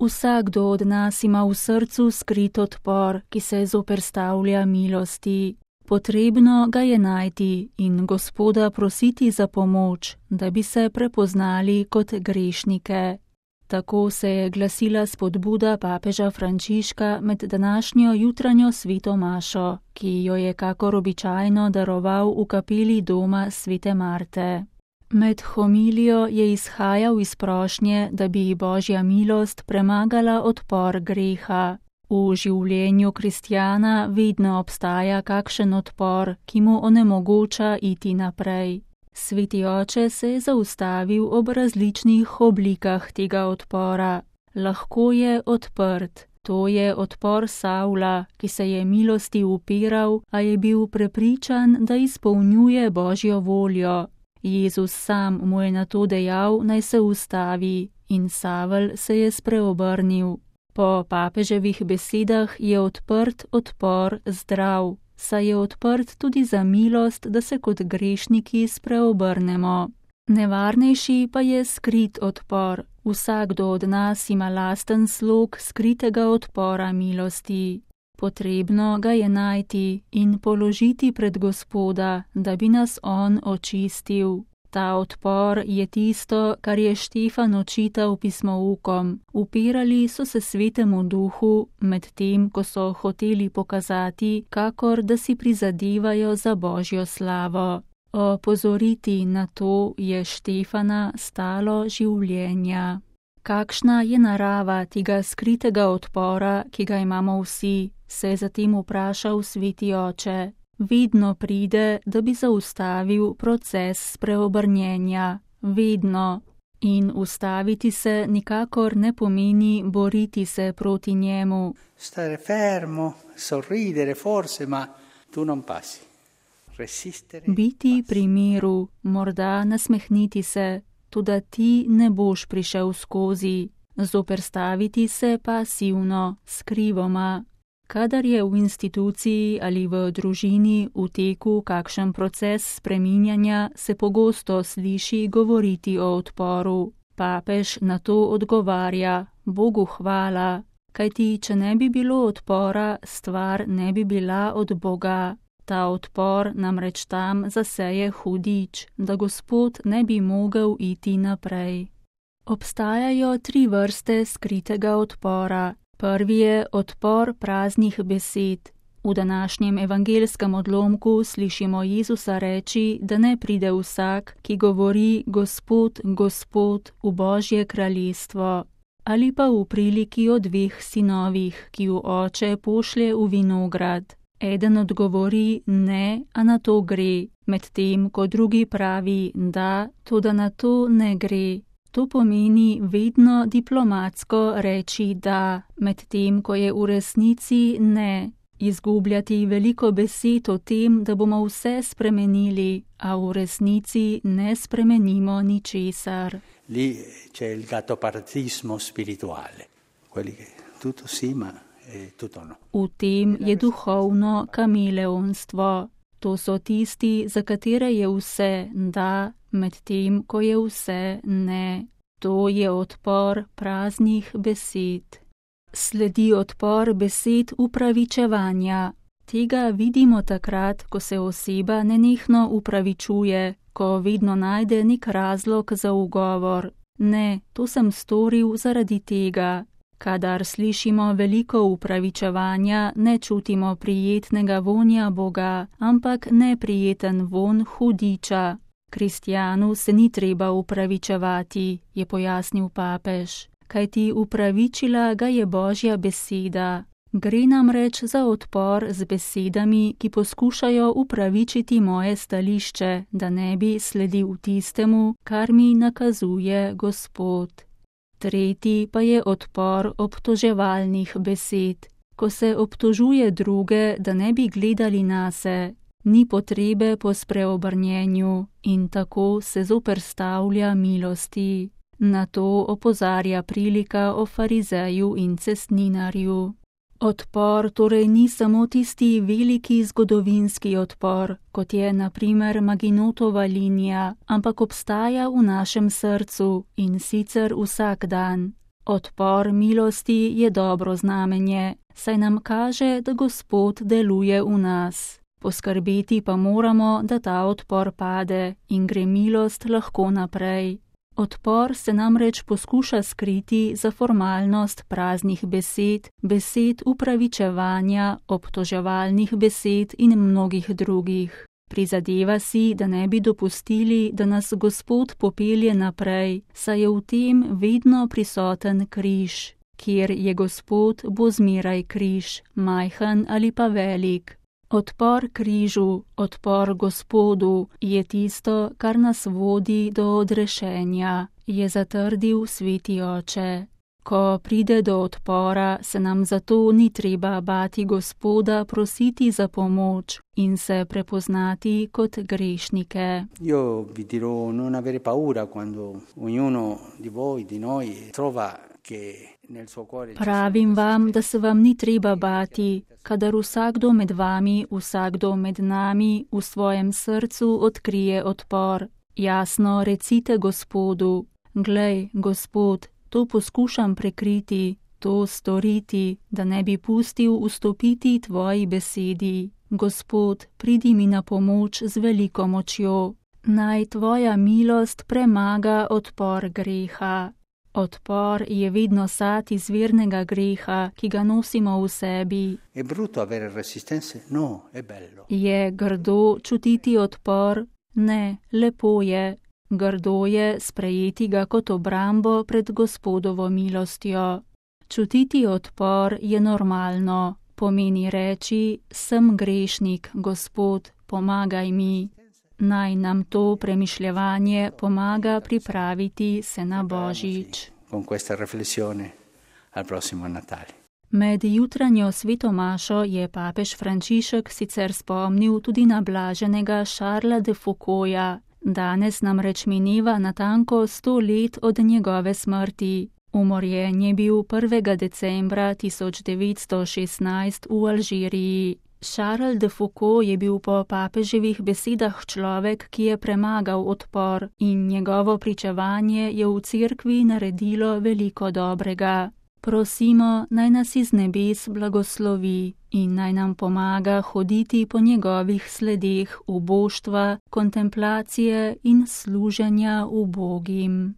Vsakdo od nas ima v srcu skrit odpor, ki se zoperstavlja milosti. Potrebno ga je najti in Gospoda prositi za pomoč, da bi se prepoznali kot grešnike. Tako se je glasila spodbuda papeža Frančiška med današnjo jutranjo sveto mašo, ki jo je kakor običajno daroval v kapeli doma svete Marte. Med homilijo je izhajal iz prošnje, da bi Božja milost premagala odpor greha. V življenju kristjana vedno obstaja kakšen odpor, ki mu onemogoča iti naprej. Sveti oče se je zaustavil ob različnih oblikah tega odpora. Lahko je odprt. To je odpor Savla, ki se je milosti upiral, a je bil prepričan, da izpolnjuje Božjo voljo. Jezus sam mu je nato dejal, naj se ustavi, in Savel se je spreobrnil. Po papeževih besedah je odprt odpor zdrav, saj je odprt tudi za milost, da se kot grešniki spreobrnemo. Nevarnejši pa je skrit odpor. Vsakdo od nas ima lasten slog skritega odpora milosti. Potrebno ga je najti in položiti pred Gospoda, da bi nas on očistil. Ta odpor je tisto, kar je Štefan očital pismoukom. Upirali so se svetemu duhu, medtem ko so hoteli pokazati, kakor da si prizadevajo za Božjo slavo. Opozoriti na to je Štefana stalo življenja. Kakšna je narava tega skritega odpora, ki ga imamo vsi, se je zatem vprašal sveti oče. Vedno pride, da bi zaustavil proces spreobrnjenja. Vedno. In ustaviti se nikakor ne pomeni boriti se proti njemu. Stare fermo, sorridere forse, ma tu non passi. Resistere. Biti pri miru, morda nasmehniti se, tudi ti ne boš prišel skozi. Zoperstaviti se pasivno, skrivoma. Kadar je v instituciji ali v družini v teku kakšen proces spreminjanja, se pogosto sliši govoriti o odporu. Papež na to odgovarja, Bogu hvala, kajti če ne bi bilo odpora, stvar ne bi bila od Boga. Ta odpor namreč tam zaseje hudič, da Gospod ne bi mogel iti naprej. Obstajajo 3 vrste skritega odpora. Prvi je odpor praznih besed. V današnjem evangelskem odlomku slišimo Jezusa reči, da ne pride vsak, ki govori Gospod, Gospod v Božje kraljestvo. Ali pa v priliki o 2 sinovih, ki ju oče pošlje v vinograd. Eden odgovori ne, a na to gre, medtem ko drugi pravi da, toda na to ne gre. To pomeni vedno diplomatsko reči da, medtem ko je v resnici ne. Izgubljati veliko besed o tem, da bomo vse spremenili, a v resnici ne spremenimo ničesar. Lì c'è il gattopartismo spirituale. Quelli che tutto sì, ma tutto no. V tem je duhovno kameleonstvo. To so tisti, za katere je vse da, medtem ko je vse ne. To je odpor praznih besed. Sledi odpor besed upravičevanja. Tega vidimo takrat, ko se oseba nenehno upravičuje, ko vedno najde nek razlog za ugovor. Ne, to sem storil zaradi tega. Kadar slišimo veliko upravičevanja, ne čutimo prijetnega vonja Boga, ampak neprijeten von hudiča. Kristjanu se ni treba upravičevati, je pojasnil papež, kajti upravičila ga je Božja beseda. Gre namreč za odpor z besedami, ki poskušajo upravičiti moje stališče, da ne bi sledil tistemu, kar mi nakazuje Gospod. Tretji pa je odpor obtoževalnih besed, ko se obtožuje druge, da ne bi gledali nase. Ni potrebe po spreobrnjenju in tako se zoperstavlja milosti. Na to opozarja prilika o farizeju in cestninarju. Odpor torej ni samo tisti veliki zgodovinski odpor, kot je na primer Maginotova linija, ampak obstaja v našem srcu in sicer vsak dan. Odpor milosti je dobro znamenje, saj nam kaže, da Gospod deluje v nas. Poskrbeti pa moramo, da ta odpor pade in gre milost lahko naprej. Odpor se namreč poskuša skriti za formalnost praznih besed, besed upravičevanja, obtoževalnih besed in mnogih drugih. Prizadeva si, da ne bi dopustili, da nas Gospod popelje naprej, saj je v tem vedno prisoten križ. Kjer je Gospod, bo zmeraj križ, majhen ali pa velik. Odpor križu, odpor Gospodu je tisto, kar nas vodi do odrešenja, je zatrdil Sveti Oče. Ko pride do odpora, se nam zato ni treba bati Gospoda prositi za pomoč in se prepoznati kot grešnike. Io vi dirò non avere paura quando ognuno di voi, di noi, trova che nel suo cuore... Pravim vam, da se vam ni treba bati, kadar vsakdo med vami, vsakdo med nami v svojem srcu odkrije odpor. Jasno recite Gospodu: glej, Gospod, to poskušam prekriti, to storiti, da ne bi pustil vstopiti tvoji besedi. Gospod, pridi mi na pomoč z veliko močjo. Naj tvoja milost premaga odpor greha. Odpor je vedno sad izvirnega greha, ki ga nosimo v sebi. È brutto avere resistenze? No, è bello. Je grdo čutiti odpor? Ne, lepo je. Grdo je sprejeti ga kot obrambo pred Gospodovo milostjo. Čutiti odpor je normalno, pomeni reči: sem grešnik, Gospod, pomagaj mi. Naj nam to premišljevanje pomaga pripraviti se na Božič. Con questa riflessione al prossimo Natale. Med jutranjo sveto mašo je papež Frančišek sicer spomnil tudi na blaženega Charlesa de Foucaulta. Danes namreč mineva natanko 100 let od njegove smrti. Umorjen je bil 1. decembra 1916 v Alžiriji. Charles de Foucault je bil po papeževih besedah človek, ki je premagal odpor, in njegovo pričevanje je v cerkvi naredilo veliko dobrega. Prosimo, naj nas iz nebes blagoslovi in naj nam pomaga hoditi po njegovih sledeh uboštva, kontemplacije in služenja ubogim.